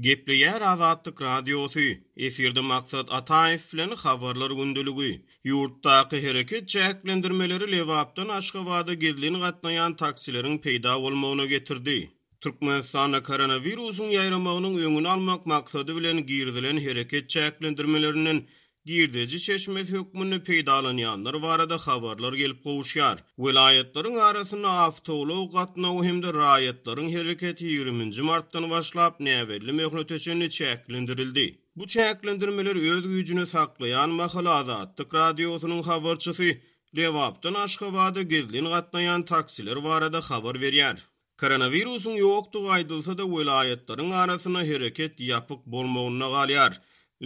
Gepleýär Azatlyk Radiosy, efirde Maksat Ataýew bilen Habarlar gündeligi. Ýurtdaky hereket çäklendirmeleri Lebapdan Aşgabada gizlin gatnaýan taksileriň peýda bolmagyna getirdi. Türkmenistanda koronawirusyň ýaýramagynyň öňüni almak maksady bilen girizilen hereket çäklendirmelerinden girdeji çeşmesi hökmünde peýdalanýanlar barada habarlar gelip gowuşýar. Welaýatlaryň arasynda awtoulag gatnawy hem-de raýatlaryň hereketi ýigriminji martdan başlap näbelli möhlete çenli çäklendirildi. Bu çäklendirmeler öz güýjüni saklaýan mahaly Azatlyk Radiosynyň habarçysy Lebapdan Aşgabada gizlin gatnaýan taksiler barada habar berýär. Koronawirusyň ýokdugy aýdylsa-da, welaýatlaryň arasynda hereket ýapyk bolmagynda galýar.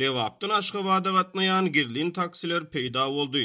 Lebapdan Aşgabada gatnaýan gizlin taksiler peýda boldy.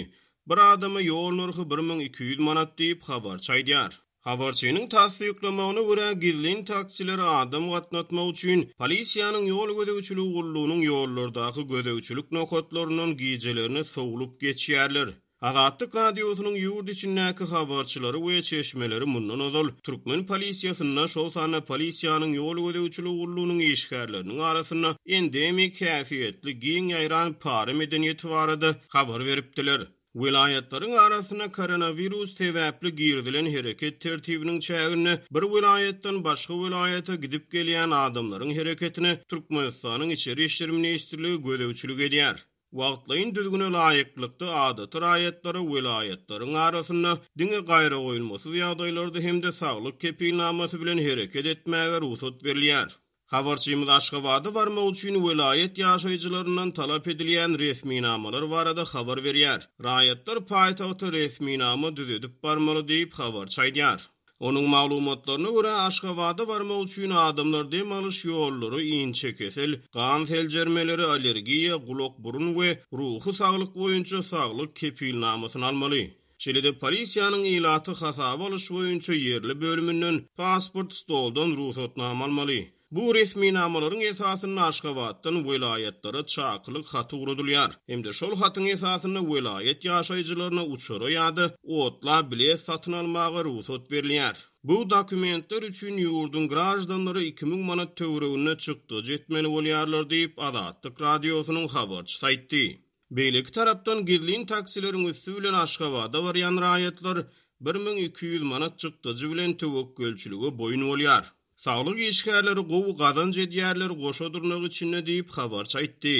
Bir adama ýol nyrhy 1200 manat diýip, habarçy aýdýar. Habarçynyň tassyklamagyna görä, gizlin taksiler adam gatnatmak üçin polisiýanyň ýol gözegçiligi gullugynyň ýollardaky gözegçilik nokatlaryndan gijelerine sowlup geçýärler. Azatlyk Radiosynyň ýurt içindäki habarçylary we çeşmeleri mundan ozal türkmen polisiýasynda, şol sanda polisiýanyň ýol gözegçiligi gullugynyň işgärleriniň arasynda endemik häsiýetli giň ýaýran para medeniýeti barada habar beripdiler. Welaýatlaryň arasynda koronawirus sebäpli girizilen hereket tertibiniň çäginde bir welaýatdan başga welaýata gidip-gelýän adamlaryň hereketine Türkmenistanyň Içeri işler ministrligi gözegçilik edýär. Wagtlaýyn düzgüne laýyklykda, adaty raýatlara welaýatlaryň arasynda diňe gaýragoýulmasyz ýagdaýlarda hem-de saglyk kepilnamasy bilen hereket etmäge rugsat berilýär. Habarçymyz Aşgabada barmak üçin welaýat ýaşaýjylaryndan talap edilýän resminamalar barada habar berýär. Raýatlar paýtagta resminama düzedip barmaly diýip, habarçy aýdýar. Onuň maglumatlaryna görä, Aşgabada barmak üçin adamlar dem alyş ýollary, inçekesel, gan seljermeleri, allergiýa, gulak-burun we ruhy saglyk boýunça saglyk kepilnamasyny almaly. Şeýle-de polisiýanyň ilaty hasaba alyş boýunça ýerli bölüminden pasport stoldan rugsatnama almaly. Bu resminamalaryň esasynda Aşgabatdan welaýatlara çakylyk haty ugradylýar hem-de şol hatyň esasynda welaýat ýaşaýjylaryna uçara ýa-da otla bilet satyn almaga rugsat berilýär. Bu dokumentler üçin ýurduň graždanlary 2000 manat töwereginde çykdajy etmeli bolýarlar diýip, Azatlyk Radiosynyň habarçysy aýtdy. Beýleki tarapdan, gizlin taksileriň üsti bilen Aşgabada barýan raýatlar 1200 manat çykdajy bilen töwekgelçilige boýun bolýar. Saglyk işgärleri gowy gazanç edýärler goşa dyrnak içinde diýip, habarçy aýtdy.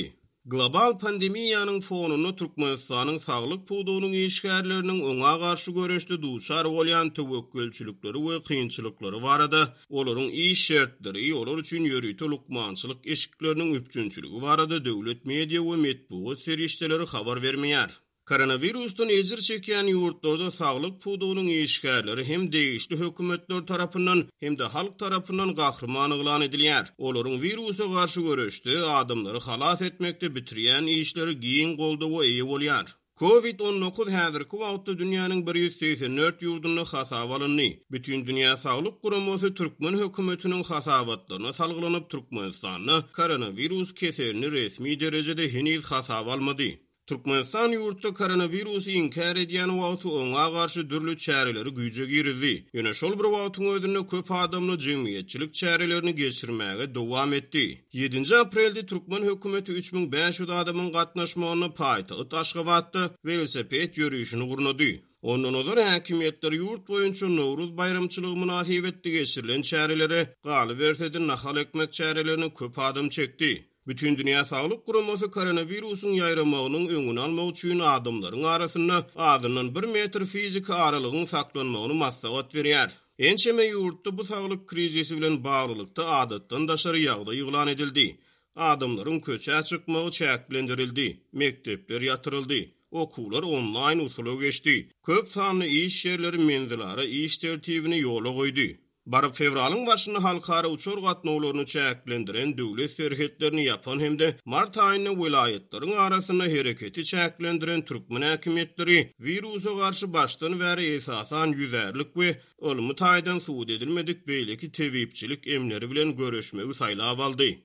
Global pandemiýanyň fonunda Türkmenistanyň saglyk pudagynyň işgärleriniň oňa garşy göreşde duçar bolýan töwekgelçilikleri we kynçylyklary barada, olaryň iş şertleri, olar üçin ýörite lukmançylyk eşikleriniň üpjünçiligi barada döwlet media we metbugat serişdeleri habar bermeýär. Koronawirusdan ejir çekýän ýurtlarda saglyk pudagynyň işgärleri hem degişli hökümetler tarapyndan, hem-de halk tarapyndan gahryman yglan edilýär. Olaryň wirusa garşy göreşde, adamlary halas etmekde bitirýän işleri giň goldawa eýe bolýar. Covid 19 häzirki wagtda dünýäniň 184 ýurdunda hasaba alyndy. Bütindünýä saglyk guramasy türkmen hökümetiniň hasabatlaryna salgylanyp, Türkmenistanda koronawirus keselini resmi derejede heniz hasaba almady. Türkmenistan ýurtda koronawirusy inkär edýän wagty oňa garşy dürli çäreleri güýje girizdi. Ýöne şol bir wagtyň özünde köp adamly jemgyýetçilik çärelerini geçirmäge dowam etdi. Ýedinji aprelde türkmen hökümeti 3500 adamyň gatnaşmagynda paýtagt Aşgabatda welosiped ýörişini gurnady. Ondan ozal häkimiýetler ýurt boýunça Nowruz baýramçylygy mynasybetli geçirilen çärelere, galyberse-de nahal ekmek çärelerine köp adam çekdi. Bütindünýä Saglyk Guramasy koronawirusyň ýaýramagynyň öňüni almak üçin adamlaryň arasynda azyndan bir metr fiziki aralygyň saklanmagyny maslahat berýär. Ençeme ýurtda bu saglyk krizisi bilen baglylykda adatdan daşary ýagdaý yglan edildi. Adamlaryň köçä çykmagy çäklendirildi, mekdepler ýatyryldy, okuwlar onlaýn usula geçdi, köp sanly iş ýerleri menzilara iş tertibini ýola goýdy. Baryp fewralyň başynda halkara uçar gatnawlaryny çäklendiren, döwlet serhetlerini ýapan hem-de mart aýynda welaýatlaryň arasynda hereketi çäklendiren türkmen häkimiýetleri wirusa garşy başdan bäri esasan ýüzärlik we ylmy taýdan subut edilmedik beýleki tebipçilik emleri bilen göreşmegi saýlap aldy.